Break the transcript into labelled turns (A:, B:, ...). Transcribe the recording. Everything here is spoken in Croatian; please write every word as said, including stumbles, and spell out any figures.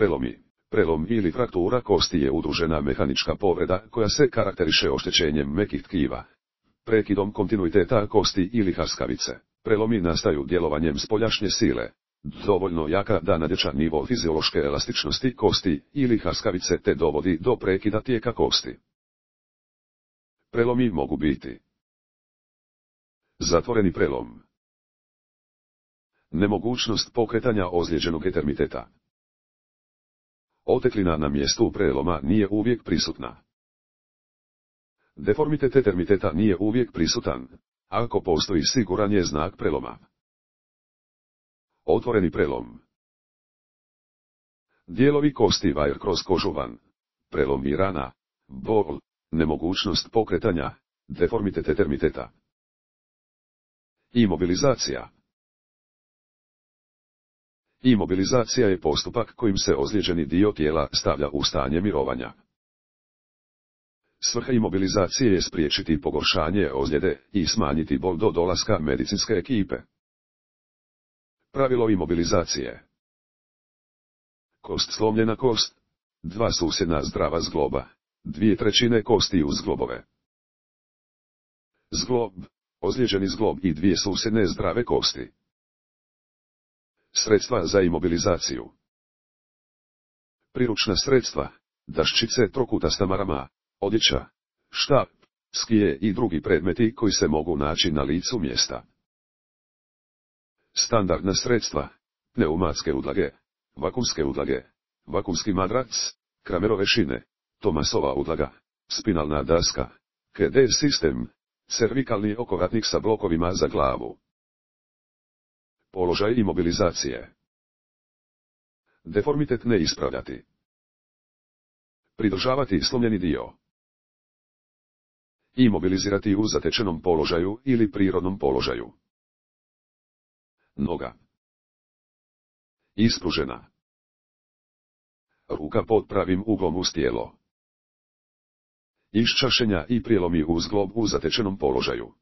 A: Prelomi. Prelom ili fraktura kosti je udružena mehanička povreda koja se karakteriše oštećenjem mekih tkiva, prekidom kontinuiteta kosti ili haskavice. Prelomi nastaju djelovanjem spoljašnje sile, dovoljno jaka da nadjača nivo fiziološke elastičnosti kosti ili haskavice te dovodi do prekida tijeka kosti. Prelomi mogu biti zatvoreni prelom, nemogućnost pokretanja ozlijeđenog etermiteta. Oteklina na mjestu preloma nije uvijek prisutna. Deformitet etermiteta nije uvijek prisutan, ako postoji siguran je znak preloma. Otvoreni prelom. Dijelovi kosti vajer kroz kožu van, prelom i rana, bol, nemogućnost pokretanja, deformitet etermiteta. Imobilizacija. Imobilizacija je postupak kojim se ozlijeđeni dio tijela stavlja u stanje mirovanja. Svrha imobilizacije je spriječiti pogoršanje ozljede i smanjiti bol do dolaska medicinske ekipe. Pravilo imobilizacije. Kost slomljena kost, dva susjedna zdrava zgloba, dvije trećine kosti uz zglobove. Zglob, ozlijeđeni zglob i dvije susjedne zdrave kosti. Sredstva za imobilizaciju. Priručna sredstva, daščice trokutasta marama, odjeća, štap, skije i drugi predmeti koji se mogu naći na licu mjesta. Standardna sredstva, pneumatske udlage, vakumske udlage, vakumski madrac, Kramerove šine, Tomasova udlaga, spinalna daska, K D sistem, cervikalni okovratnik sa blokovima za glavu. Položaj imobilizacije. Deformitet ne ispravljati. Pridržavati slomljeni dio. Imobilizirati u zatečenom položaju ili prirodnom položaju. Noga. Ispružena. Ruka pod pravim uglom uz tijelo. Iščašenja i prijelomi uz zglob u zatečenom položaju.